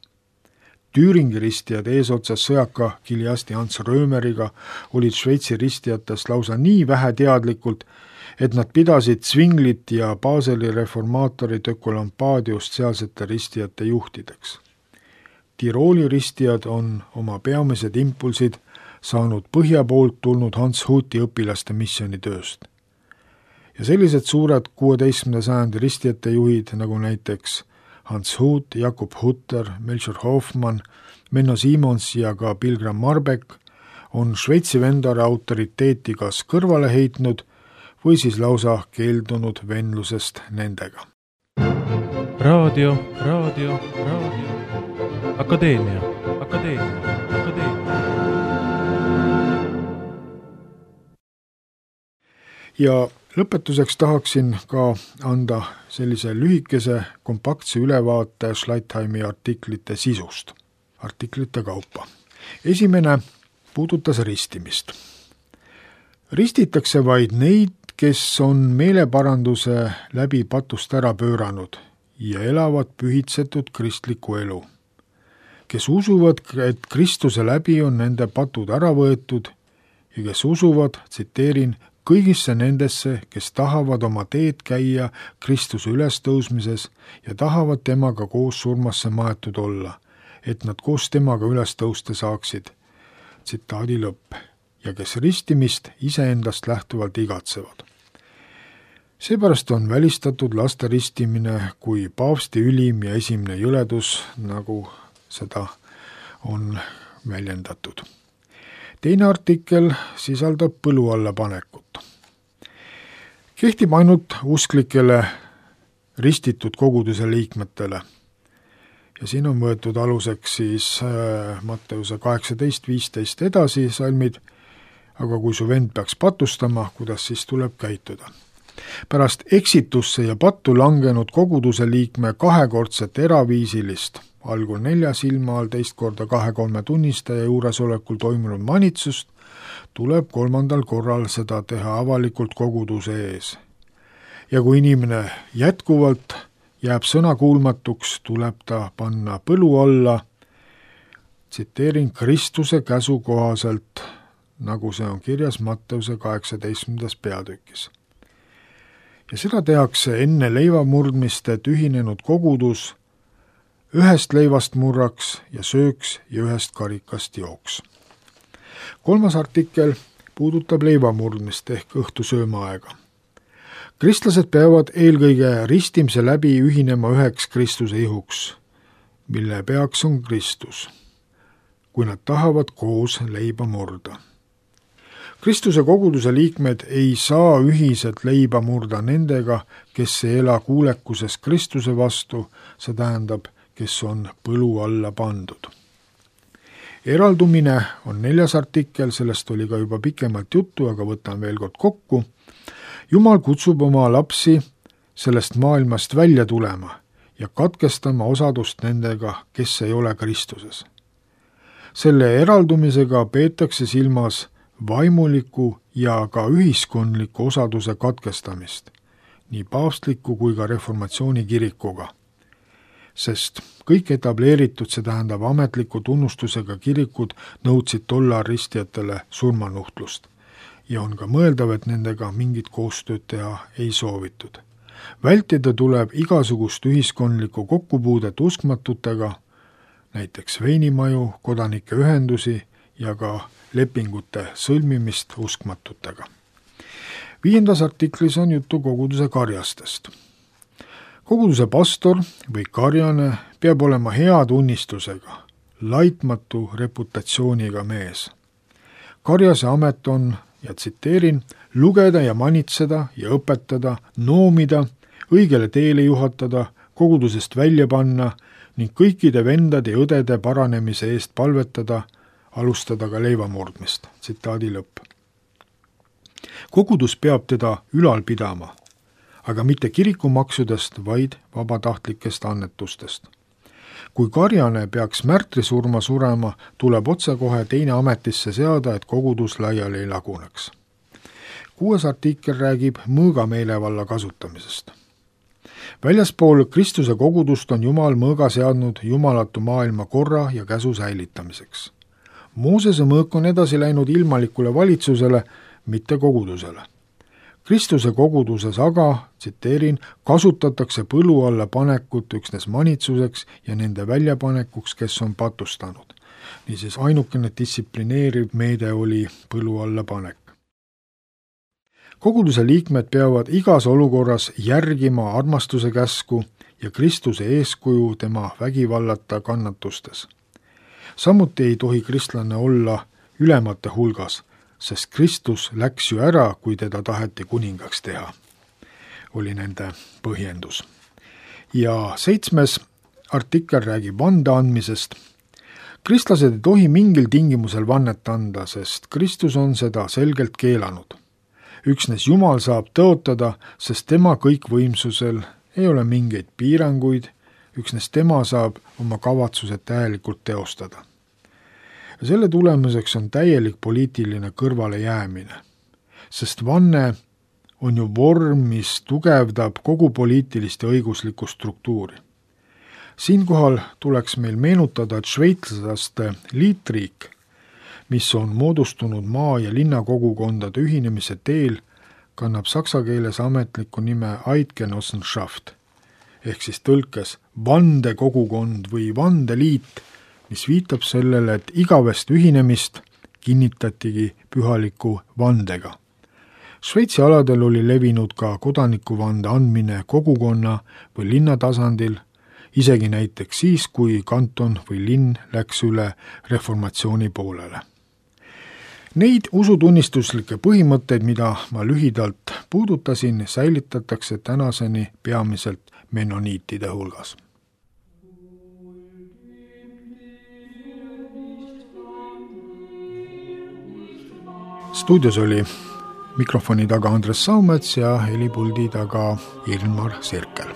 Tüüringi ristijad eesotsas sõjaka kiliasti Hans Römeriga olid Šveitsi ristijatest lausa nii vähe teadlikult, et nad pidasid Zwinglit ja Baseli reformaatorit Ökolampaadiust sealsete ristijate juhtideks. Tirooli ristijad on oma peamised impulsid saanud põhja poolt tulnud Hans Huti õpilaste missioonitööst. Ja sellised suured kuueteistkümnenda sajandi ristijate juhid, nagu näiteks Hans Hut, Jakob Hutter, Melchior Hoffmann, Menno Simons ja ka Pilgram Marbeck on Šveitsi vendare autoriteeti kas kõrvale heitnud või siis lausa keeldunud venlusest nendega. Raadio, raadio, raadio. Akadeemia, akadeemia, akadeemia. Ja lõpetuseks tahaksin ka anda sellise lühikese kompaktse ülevaate Schleitheimi artiklite sisust, artiklite kaupa. Esimene puudutas ristimist. Ristitakse vaid neid, kes on meeleparanduse läbi patust ära pööranud ja elavad pühitsetud kristlikku elu, kes usuvad, et Kristuse läbi on nende patud ära võetud ja kes usuvad, tsiteerin, kõigisse nendesse, kes tahavad oma teed käia Kristuse ülestõusmises ja tahavad temaga koos surmasse maetud olla, et nad koos temaga ülestõusta saaksid. Tsitaadi lõpp. Ja kes ristimist iseendast lähtuvalt igatsevad. Seepärast on välistatud laste ristimine kui paavsti ülim ja esimene jõledus, nagu seda on väljendatud. Teine artikkel sisaldab põlu alla panekut. Kehtib ainult usklikele ristitud koguduse liikmetele. Ja siin on võetud aluseks siis Matteuse kaheksateist viisteist edasi salmid, aga kui su vend peaks patustama, kuidas siis tuleb käituda. Pärast eksitusse ja pattu langenud koguduse liikme kahekordset eraviisilist, algul nelja silma all, teist korda kahe-kolme tunnistaja juuresolekul toimunud manitsust, tuleb kolmandal korral seda teha avalikult koguduse ees. Ja kui inimene jätkuvalt jääb sõnakuulmatuks, tuleb ta panna põlu alla, tsiteerin, Kristuse käsu kohaselt, nagu see on kirjas Matteuse kaheksateistkümnendas peatükis. Ja seda tehakse enne leivamurdmist, et ühinenud kogudus ühest leivast murraks ja sööks ja ühest karikast jooks. Kolmas artikkel puudutab leivamurdmist ehk õhtusöömaaega. Kristlased peavad eelkõige ristimise läbi ühinema üheks Kristuse ihuks, mille peaks on Kristus, kui nad tahavad koos leiba murda. Kristuse koguduse liikmed ei saa ühiselt leiba murda nendega, kes ei ela kuulekuses Kristuse vastu, see tähendab, kes on põlu alla pandud. Eraldumine on neljas artikkel, sellest oli ka juba pikemalt juttu, aga võtan veel kord kokku. Jumal kutsub oma lapsi sellest maailmast välja tulema ja katkestama osadust nendega, kes ei ole Kristuses. Selle eraldumisega peetakse silmas vaimuliku ja ka ühiskondliku osaduse katkestamist, nii paavstliku kui ka reformatsiooni kirikuga. Sest kõik etableeritud, see tähendab ametliku tunnustusega kirikud nõudsid tollar ristijatele surmanuhtlust ja on ka mõeldav, et nendega mingit koostööd teha ei soovitud. Vältida tuleb igasugust ühiskondlikku kokkupuudet uskmatutega, näiteks veinimaju, kodanike ühendusi ja ka lepingute sõlmimist uskmatutega. Viiendas artiklis on juttu koguduse karjastest. Koguduse pastor või karjane peab olema hea tunnistusega, laitmatu reputatsiooniga mees. Karjase amet on, ja tsiteerin, lugeda ja manitseda ja õpetada, noomida, õigele teele juhatada, kogudusest välja panna ning kõikide vendade ja õdede paranemise eest palvetada, alustada ka leivamurdmist. Tsitaadi lõpp. Kogudus peab teda ülal pidama, aga mitte kirikumaksudest, vaid vabatahtlikest annetustest. Kui karjane peaks märtrisurma surema, tuleb otsekohe teine ametisse seada, et kogudus laiali ei laguneks. Kuues artikkel räägib mõõgameelevalla kasutamisest. Väljaspool Kristuse kogudust on Jumal mõõga seadnud jumalatu maailma korra ja käsu säilitamiseks. Moosese mõõk on edasi läinud ilmalikule valitsusele, mitte kogudusele. Kristuse koguduses aga, tsiteerin, kasutatakse põlu alla panekut üksnes manitsuseks ja nende väljapanekuks, kes on patustanud. Niisiis ainukene distsiplineeriv meede oli põlu alla panek. Koguduse liikmed peavad igas olukorras järgima armastuse käsku ja Kristuse eeskuju tema vägivallata kannatustes. Samuti ei tohi kristlane olla ülemate hulgas, sest Kristus läks ju ära, kui teda taheti kuningaks teha, oli nende põhjendus. Ja seitsmes artikkel räägib vande andmisest. Kristlased ei tohi mingil tingimusel vannet anda, sest Kristus on seda selgelt keelanud. Üksnes Jumal saab tõotada, sest tema kõikvõimsusel ei ole mingeid piiranguid, üksnes tema saab oma kavatsused täielikult teostada. Ja selle tulemuseks on täielik poliitiline kõrvalejäämine, sest vanne on ju vorm, mis tugevdab kogu poliitilist ja õiguslikku struktuuri. Siinkohal tuleks meil meenutada, et šveitslaste liitriik, mis on moodustunud maa- ja linnakogukondade ühinemise teel, kannab saksa keeles ametliku nime Eidgenossenschaft, ehk siis tõlkes vandekogukond või vandeliit, mis viitab sellele, et igavest ühinemist kinnitatigi pühaliku vandega. Šveitsi aladel oli levinud ka kodanikuvande andmine kogukonna või linna tasandil, isegi näiteks siis, kui kanton või linn läks üle reformatsiooni poolele. Neid usutunnistuslikke põhimõtteid, mida ma lühidalt puudutasin, säilitatakse tänaseni peamiselt menoniitide hulgas. Stuudios oli mikrofoni taga Andres Saumets ja helipuldi taga Ilmar Sirkel.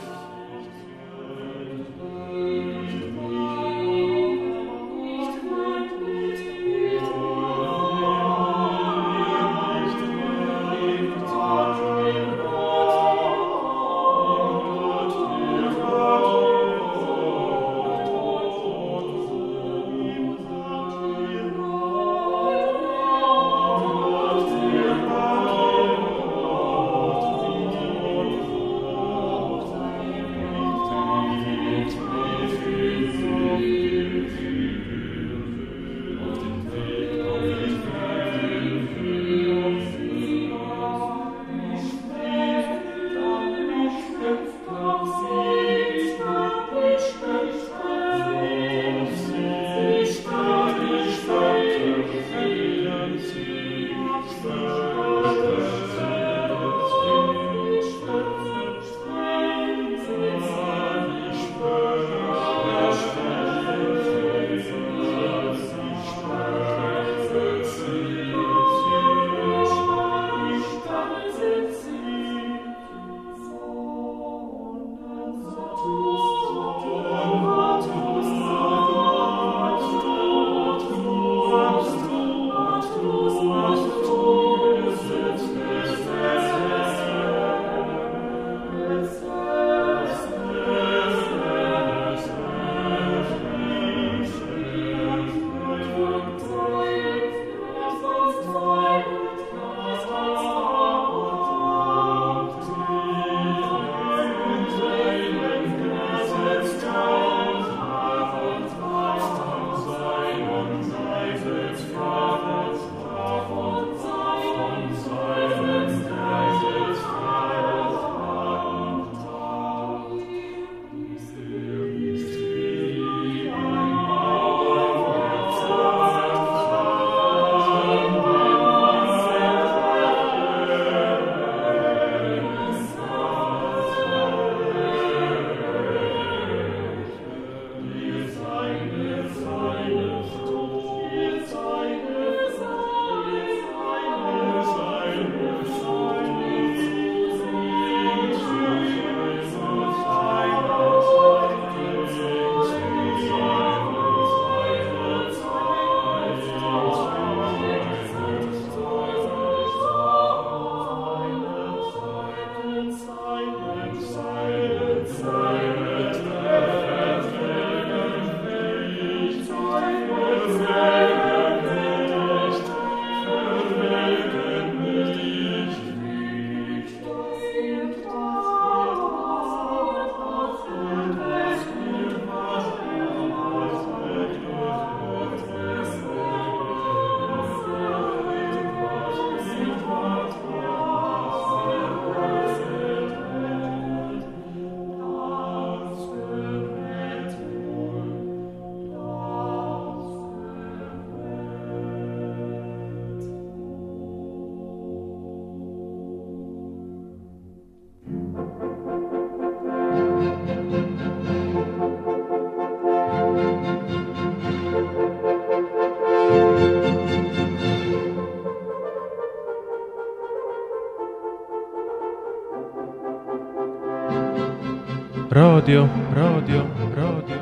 raadio, raadio, raadio,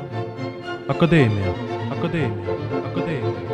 akadeemia, akadeemia, akadeemia.